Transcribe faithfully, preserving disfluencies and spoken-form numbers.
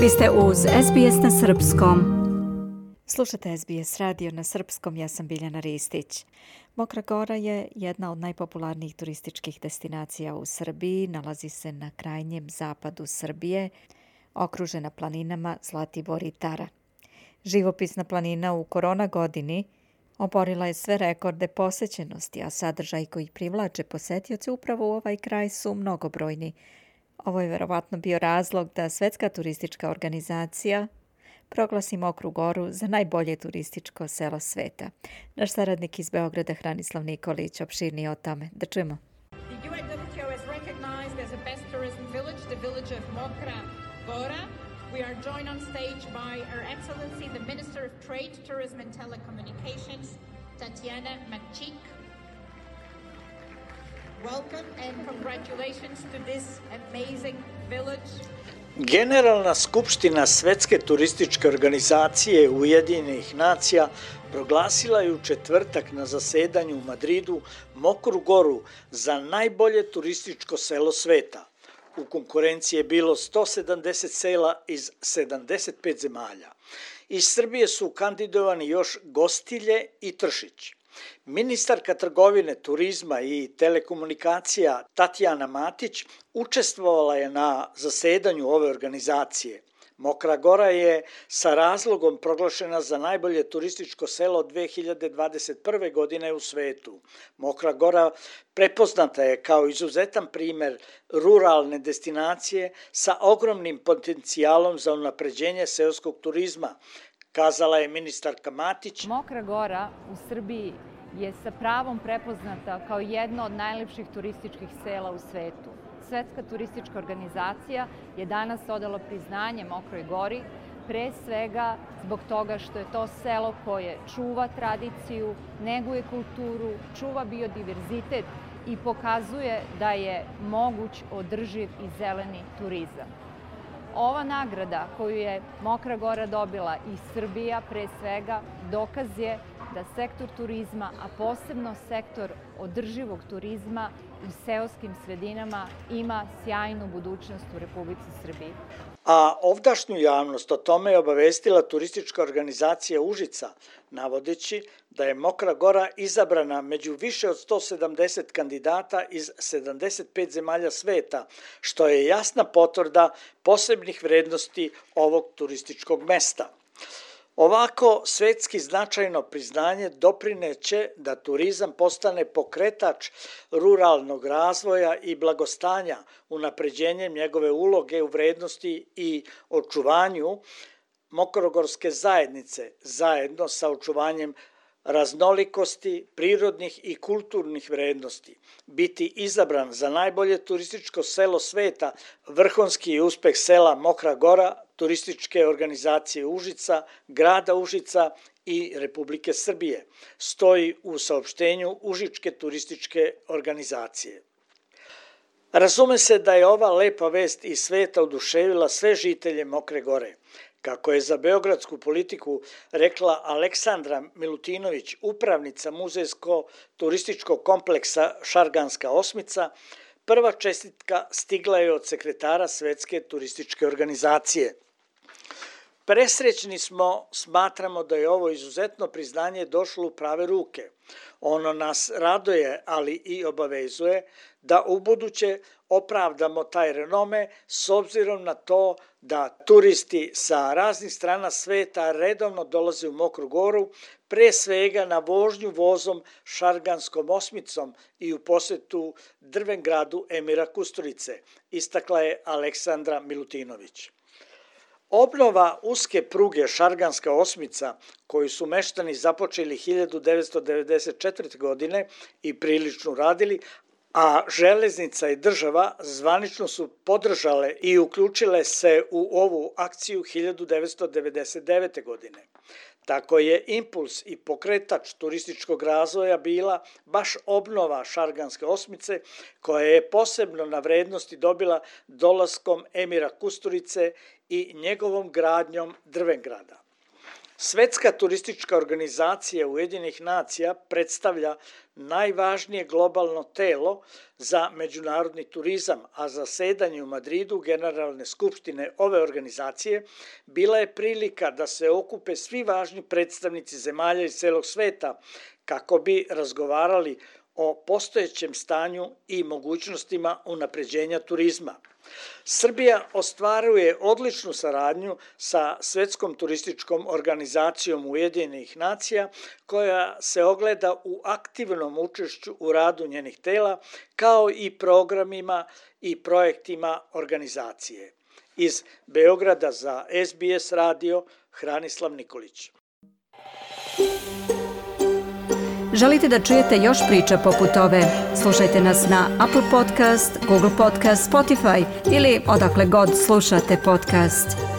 Vi ste uz S B S na srpskom. Slušate S B S radio na srpskom, ja sam Biljana Ristić. Mokra Gora je jedna od najpopularnijih turističkih destinacija u Srbiji. Nalazi se na krajnjem zapadu Srbije, okružena planinama Zlatibor i Tara. Živopisna planina u korona godini oborila je sve rekorde posećenosti, a sadržaj koji privlače posetioce upravo u ovaj kraj su mnogobrojni. Ovo je verovatno bio razlog da Svetska turistička organizacija proglasi Mokru Goru za najbolje turističko selo sveta. Naš saradnik iz Beograda, Hranislav Nikolić, opširnije o tome. Da čujemo. The U N W T O has recognized as a best tourism village the village of Mokra Gora. We are joined on stage by Her Excellency the Minister of Trade, Tourism and Telecommunications, Tatiana Makčik. Welcome and congratulations to this amazing village. Generalna skupština Svetske turističke organizacije Ujedinjenih nacija proglasila je u četvrtak na zasedanju u Madridu Mokru Goru za najbolje turističko selo sveta. U konkurenciji je bilo sto sedamdeset sela iz sedamdeset pet zemalja. Iz Srbije su kandidovani još Gostilje i Tršić. Ministarka trgovine, turizma i telekomunikacija Tatjana Matić učestvovala je na zasedanju ove organizacije. Mokra Gora je sa razlogom proglašena za najbolje turističko selo dve hiljade dvadeset prve. godine u svetu. Mokra Gora prepoznata je kao izuzetan primer ruralne destinacije sa ogromnim potencijalom za unapređenje seoskog turizma, kazala je ministarka Matić. Mokra Gora u Srbiji je sa pravom prepoznata kao jedno od najlepših turističkih sela u svetu. Svetska turistička organizacija je danas odala priznanje Mokroj Gori, pre svega zbog toga što je to selo koje čuva tradiciju, neguje kulturu, čuva biodiverzitet i pokazuje da je moguć održiv i zeleni turizam. Ova nagrada koju je Mokra Gora dobila i Srbija pre svega dokaz je da sektor turizma, a posebno sektor održivog turizma u seoskim sredinama ima sjajnu budućnost u Republici Srbiji. A ovdašnju javnost o tome je obavestila turistička organizacija Užica, navodeći da je Mokra Gora izabrana među više od sto sedamdeset kandidata iz sedamdeset pet zemalja sveta, što je jasna potvrda posebnih vrednosti ovog turističkog mesta. Ovako svetski značajno priznanje doprineće da turizam postane pokretač ruralnog razvoja i blagostanja, unapređenjem njegove uloge u vrednosti i očuvanju mokrogorske zajednice, zajedno sa očuvanjem raznolikosti, prirodnih i kulturnih vrednosti. Biti izabran za najbolje turističko selo sveta, vrhunski uspeh sela Mokra Gora, turističke organizacije Užica, grada Užica i Republike Srbije, stoji u saopštenju Užičke turističke organizacije. Razume se da je ova lepa vest iz sveta oduševila sve žitelje Mokre Gore. Kako je za beogradsku politiku rekla Aleksandra Milutinović, upravnica muzejsko-turističkog kompleksa Šarganska osmica, prva čestitka stigla je od sekretara Svetske turističke organizacije. Presrećni smo, smatramo da je ovo izuzetno priznanje došlo u prave ruke. Ono nas raduje, ali i obavezuje da ubuduće opravdamo taj renome s obzirom na to da turisti sa raznih strana sveta redovno dolaze u Mokru Goru, pre svega na vožnju vozom Šarganskom osmicom i u posetu Drvengradu Emira Kusturice, istakla je Aleksandra Milutinović. Obnova uske pruge Šarganska osmica, koju su meštani započeli hiljadu devetsto devedeset četvrte. godine i prilično radili, a železnica i država zvanično su podržale i uključile se u ovu akciju hiljadu devetsto devedeset devete. godine. Tako je impuls i pokretač turističkog razvoja bila baš obnova Šarganske osmice, koja je posebno na vrednosti dobila dolaskom Emira Kusturice i njegovom gradnjom Drvengrada. Svetska turistička organizacija Ujedinjenih nacija predstavlja najvažnije globalno telo za međunarodni turizam, a zasedanje u Madridu Generalne skupštine ove organizacije bila je prilika da se okupe svi važni predstavnici zemalja iz celog sveta kako bi razgovarali o postojećem stanju i mogućnostima unapređenja turizma. Srbija ostvaruje odličnu saradnju sa Svetskom turističkom organizacijom Ujedinjenih nacija, koja se ogleda u aktivnom učešću u radu njenih tela, kao i programima i projektima organizacije. Iz Beograda za S B S radio, Hranislav Nikolić. Želite da čujete još priča poput ove? Slušajte nas na Apple Podcast, Google Podcast, Spotify ili odakle god slušate podcast.